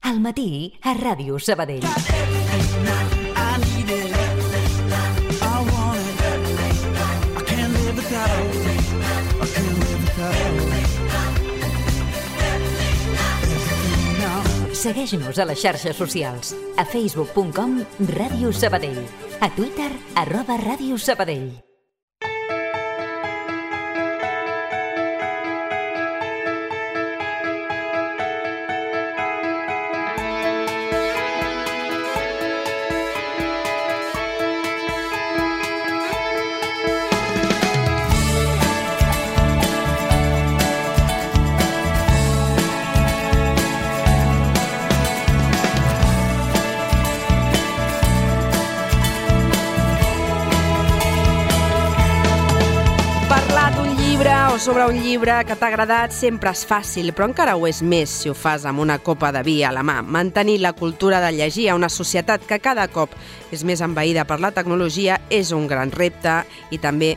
Al matí a Ràdio Sabadell. Segueix-nos a les xarxes socials. A facebook.com Ràdio Sabadell. A Twitter @Ràdio Sabadell. O sobre un llibre que t'ha agradat sempre és fàcil, però encara ho és més si ho fas amb una copa de vi a la mà. Mantenir la cultura de llegir a una societat que cada cop és més envaïda per la tecnologia és un gran repte i també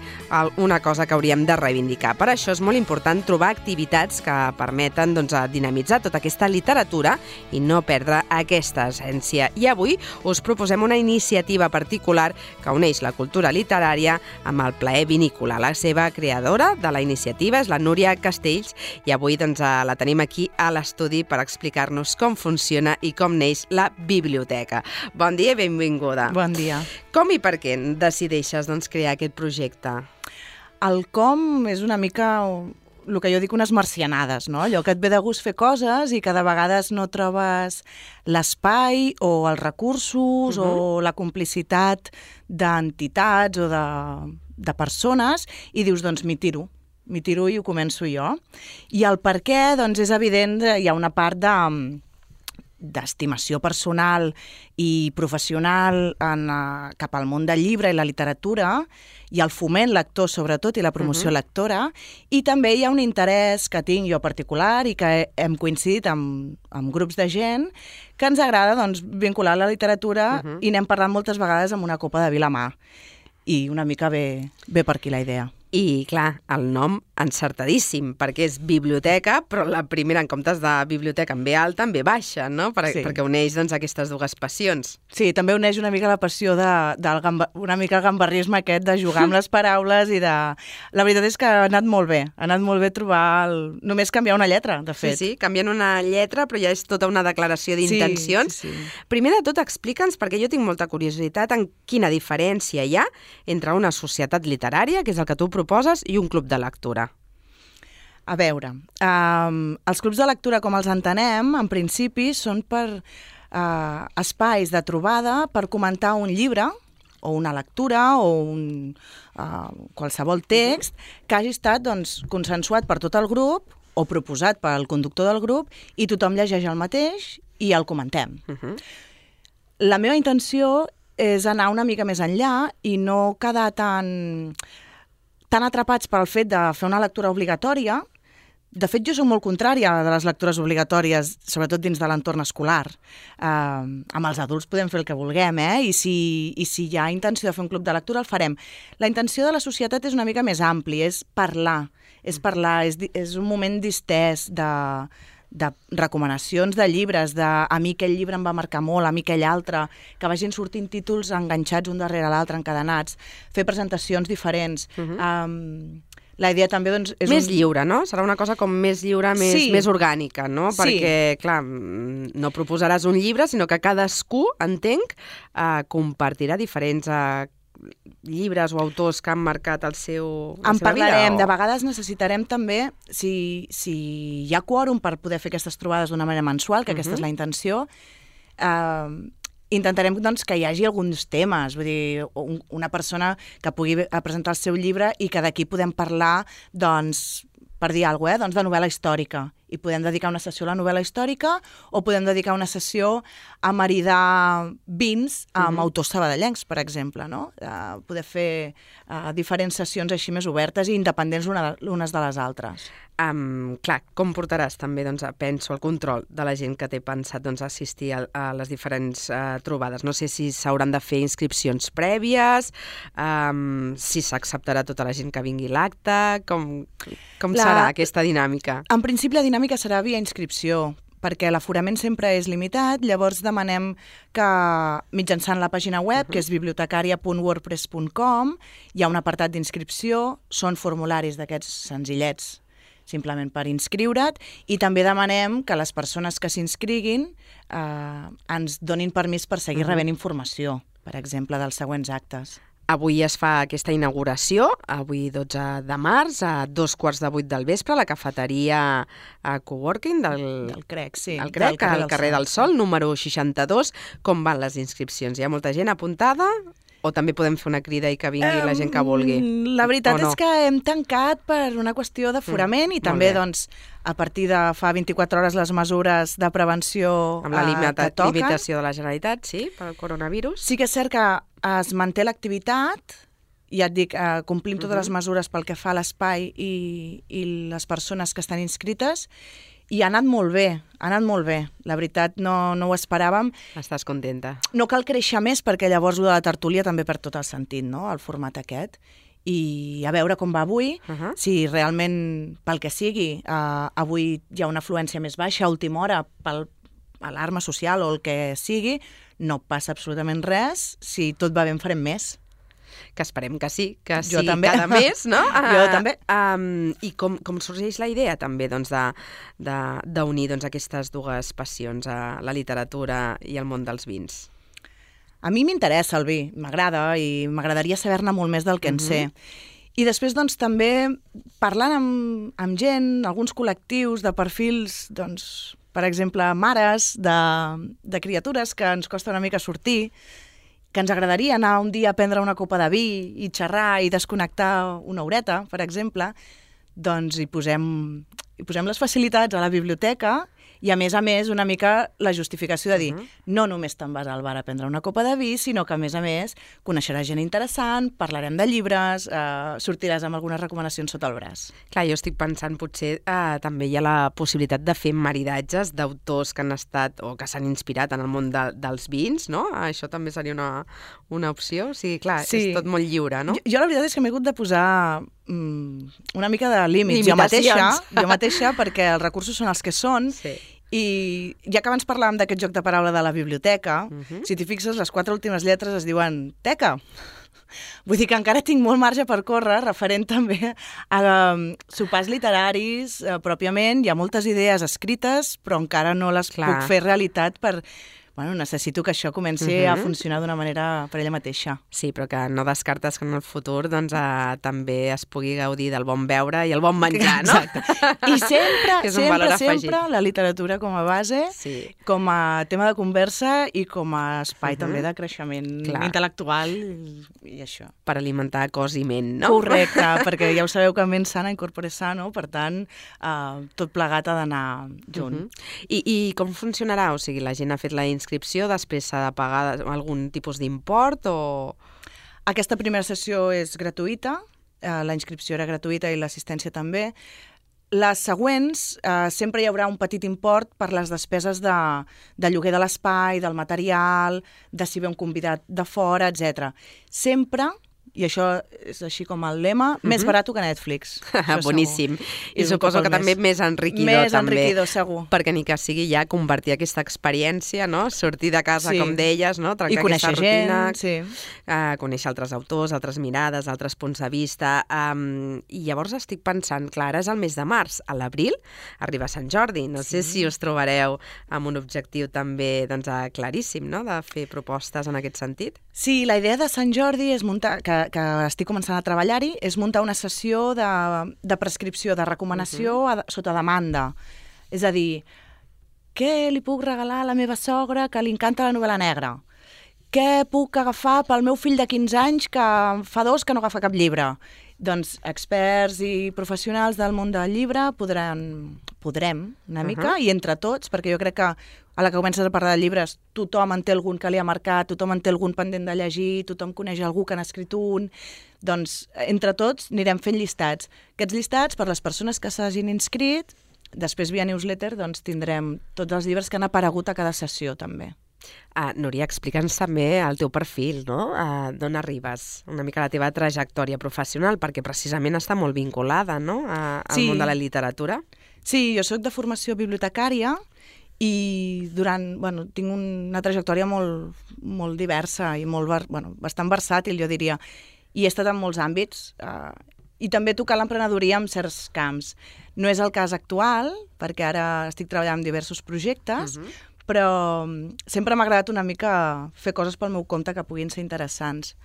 una cosa que hauríem de reivindicar. Per això és molt important trobar activitats que permeten dinamitzar tota aquesta literatura i no perdre aquesta essència. I avui us proposem una iniciativa particular que uneix la cultura literària amb el plaer vinícola. La seva creadora de la iniciativa és la Núria Castells i avui la tenim aquí a l'estudi per explicar-nos com funciona i com neix la biblioteca. Bon dia i benvinguda. Bon dia. Com i per què decideixes crear aquest projecte? El com és una mica el que jo dic unes marcianades, no? Allò que et ve de gust fer coses i que de vegades no trobes l'espai o els recursos o la complicitat d'entitats o de persones i dius, doncs m'hi tiro i ho començo jo. I el per què, doncs és evident, hi ha una part d'estimació personal i professional cap al món del llibre i la literatura i el foment lector, sobretot, i la promoció lectora, i també hi ha un interès que tinc jo particular i que hem coincidit amb grups de gent que ens agrada vincular la literatura i n'hem parlat moltes vegades amb una copa de vi a la mà. I una mica ve per aquí la idea. I, clar, el nom encertadíssim, perquè és biblioteca, però la primera, en comptes de biblioteca en B alta, en B baixa, no? Perquè uneix aquestes dues passions. Sí, també uneix una mica la passió una mica el gambarrisme aquest de jugar amb les paraules i de... La veritat és que ha anat molt bé trobar només canviar una lletra, de fet. Sí, canviant una lletra, però ja és tota una declaració d'intencions. Sí. Primer de tot, explica'ns, perquè jo tinc molta curiositat, en quina diferència hi ha entre una societat literària, que és el que tu proposes, i un club de lectura. A veure, els clubs de lectura, com els entenem, en principi són per espais de trobada per comentar un llibre o una lectura o qualsevol text que hagi estat consensuat per tot el grup o proposat pel conductor del grup i tothom llegeix el mateix i el comentem. La meva intenció és anar una mica més enllà i no quedar tan atrapats pel fet de fer una lectura obligatòria. De fet, jo soc molt contrària de les lectures obligatòries, sobretot dins de l'entorn escolar. Amb els adults podem fer el que vulguem, I si hi ha intenció de fer un club de lectura, el farem. La intenció de la societat és una mica més ampli, és parlar, és un moment distès de recomanacions de llibres, a mi aquell llibre em va marcar molt, a mi aquell altre, que vagin sortint títols enganxats un darrere l'altre, encadenats, fer presentacions diferents. La idea també és... Més lliure, no? Serà una cosa com més lliure, més orgànica, no? Perquè, clar, no proposaràs un llibre, sinó que cadascú, entenc, compartirà diferents llibres o autors que han marcat la seva vida. En parlarem. De vegades necessitarem també, si hi ha quòrum per poder fer aquestes trobades d'una manera mensual, que aquesta és la intenció, intentarem que hi hagi alguns temes, vull dir, una persona que pugui presentar el seu llibre i que d'aquí podem parlar, per dir alguna cosa, de novel·la històrica. I podem dedicar una sessió a la novel·la històrica o podem dedicar una sessió a maridar vins amb autors sabadellencs, per exemple, no? Poder fer diferents sessions així més obertes i independents unes de les altres. Clar, com portaràs també, penso, el control de la gent que té pensat assistir a les diferents trobades? No sé si s'hauran de fer inscripcions prèvies, si s'acceptarà tota la gent que vingui a l'acte, com serà aquesta dinàmica? En principi la dinàmica serà via inscripció, perquè l'aforament sempre és limitat, llavors demanem que mitjançant la pàgina web, que és bibliotecaria.wordpress.com, hi ha un apartat d'inscripció, són formularis d'aquests senzillets, simplement per inscriure't, i també demanem que les persones que s'inscriguin ens donin permís per seguir rebent informació, per exemple, dels següents actes. Avui es fa aquesta inauguració, avui 12 de març, a 7:15 del vespre, a la cafeteria Coworking del CREC, sí. Al CREC, al carrer del Sol, número 62. Com van les inscripcions? Hi ha molta gent apuntada? O també podem fer una crida i que vingui la gent que vulgui? La veritat és que hem tancat per una qüestió d'aforament i també, doncs, a partir de fa 24 hores les mesures de prevenció amb la que toquen. limitació de la Generalitat, sí, pel coronavirus. Sí que és cert que es manté l'activitat, ja et dic, complim totes les mesures pel que fa a l'espai i les persones que estan inscrites, i ha anat molt bé, La veritat, no ho esperàvem. Estàs contenta? No cal créixer més, perquè llavors la tertúlia també perd tot el sentit, no?, el format aquest. I a veure com va avui, si realment, pel que sigui, avui hi ha una afluència més baixa a última hora per alarma social o el que sigui, no passa absolutament res. Si tot va bé en farem més. Que esperem que sí, que sí, també. Cada mes, no? Jo també. I com sorgeix la idea també d'unir aquestes dues passions, la literatura i el món dels vins? A mi m'interessa el vi, m'agrada i m'agradaria saber-ne molt més del que en sé. I després, doncs, també parlant amb gent, alguns col·lectius de perfils, doncs, per exemple, mares de criatures que ens costa una mica sortir, que ens agradaria anar un dia a prendre una copa de vi i xerrar i desconnectar una horeta, per exemple, doncs hi posem les facilitats a la biblioteca i, a més, una mica la justificació de dir no només te'n vas al bar a prendre una copa de vi, sinó que, a més, coneixeràs gent interessant, parlarem de llibres, sortiràs amb algunes recomanacions sota el braç. Clar, jo estic pensant, potser també hi ha la possibilitat de fer maridatges d'autors que han estat o que s'han inspirat en el món dels vins, no? Això també seria una opció? O sigui, clar, és tot molt lliure, no? Jo la veritat és que m'he hagut de posar una mica de límits jo mateixa, perquè els recursos són els que són, i ja que abans parlàvem d'aquest joc de paraula de la biblioteca, si t'hi fixes, les 4 últimes lletres es diuen teca. Vull dir que encara tinc molt marge per córrer, referent també a sopars literaris pròpiament. Hi ha moltes idees escrites, però encara no les puc fer realitat per... Bueno, necessito que això comenci a funcionar d'una manera per ella mateixa. Sí, però que no descartes que en el futur doncs, també es pugui gaudir del bon beure i el bon menjar, no? Exacte. I sempre la literatura com a base, com a tema de conversa i com a espai també de creixement intel·lectual i això. Per alimentar cos i ment, no? Correcte, perquè ja ho sabeu que ment sana incorpore sano, per tant, tot plegat ha d'anar junt. I com funcionarà? O sigui, la gent ha fet la inscripció, després s'ha de pagar algun tipus d'import o...? Aquesta primera sessió és gratuïta, la inscripció era gratuïta i l'assistència també. Les següents sempre hi haurà un petit import per les despeses de lloguer de l'espai, del material, de si ve un convidat de fora, etc. Sempre, i això és així com el lema, més barat que Netflix. Boníssim. I suposo que també més enriquidor. Més enriquidor, segur. Perquè ni que sigui ja convertir aquesta experiència, no? Sortir de casa, com deies, no? Trencar aquesta rutina. Conèixer altres autors, altres mirades, altres punts de vista. I llavors estic pensant, clar, ara és el mes de març. A l'abril arriba Sant Jordi. No sé si us trobareu amb un objectiu també claríssim, no? De fer propostes en aquest sentit. Sí, la idea de Sant Jordi és muntar... que estic començant a treballar-hi, és muntar una sessió de prescripció, de recomanació sota demanda. És a dir, què li puc regalar a la meva sogra que li encanta la novel·la negra? Què puc agafar pel meu fill de 15 anys que fa 2 que no agafa cap llibre? Doncs experts i professionals del món del llibre podrem una mica, i entre tots, perquè jo crec que a la que comences a parlar de llibres, tothom en té algun que li ha marcat, tothom en té algun pendent de llegir, tothom coneix algú que n'ha escrit un, doncs entre tots anirem fent llistats. Aquests llistats, per les persones que s'hagin inscrit, després via newsletter doncs tindrem tots els llibres que han aparegut a cada sessió també. Núria, explica'ns també el teu perfil, no? D'on arribes? Una mica la teva trajectòria professional, perquè precisament està molt vinculada, no? Al món de la literatura. Sí, jo soc de formació bibliotecària i tinc una trajectòria molt diversa i bastant versàtil, jo diria, i he estat en molts àmbits, i també tocar l'emprenedoria en certs camps. No és el cas actual, perquè ara estic treballant en diversos projectes, però sempre m'ha agradat una mica fer coses pel meu compte que puguin ser interessants.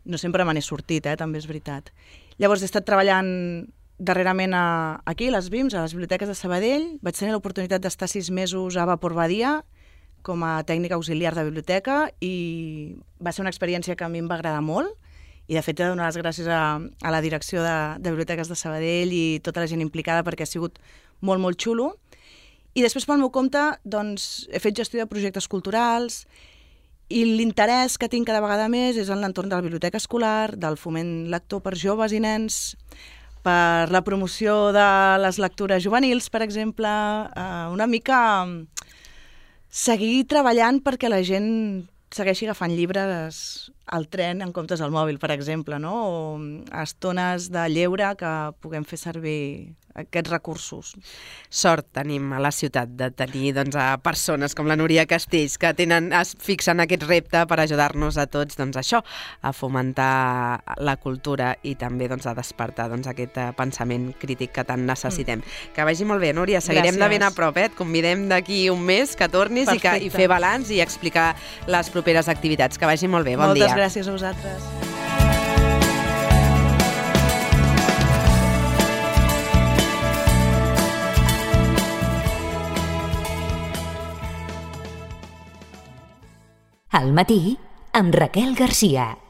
No sempre me n'he sortit, també és veritat. Llavors he estat treballant darrerament aquí, a les BIMs, a les biblioteques de Sabadell. Vaig tenir l'oportunitat d'estar 6 mesos a Vapor Badia com a tècnica auxiliar de biblioteca i va ser una experiència que a mi em va agradar molt i de fet he de donar les gràcies a la direcció de biblioteques de Sabadell i tota la gent implicada perquè ha sigut molt, molt xulo. I després pel meu compte doncs, he fet gestió de projectes culturals i l'interès que tinc cada vegada més és en l'entorn de la biblioteca escolar, del foment lector per joves i nens, per la promoció de les lectures juvenils, per exemple, una mica seguir treballant perquè la gent segueixi agafant llibres al tren en comptes del mòbil, per exemple, no? O a estones de lleure que puguem fer servir aquests recursos. Sort tenim a la ciutat de tenir a persones com la Núria Castells que es fixen aquest repte per ajudar-nos a tots a fomentar la cultura i també a despertar aquest pensament crític que tant necessitem. Que vagi molt bé, Núria. Seguirem de ben a prop. Et convidem d'aquí un mes que tornis i fer balanç i explicar les properes activitats. Que vagi molt bé. Bon dia. Moltes gràcies a vosaltres. Al matí, amb Raquel Garcia.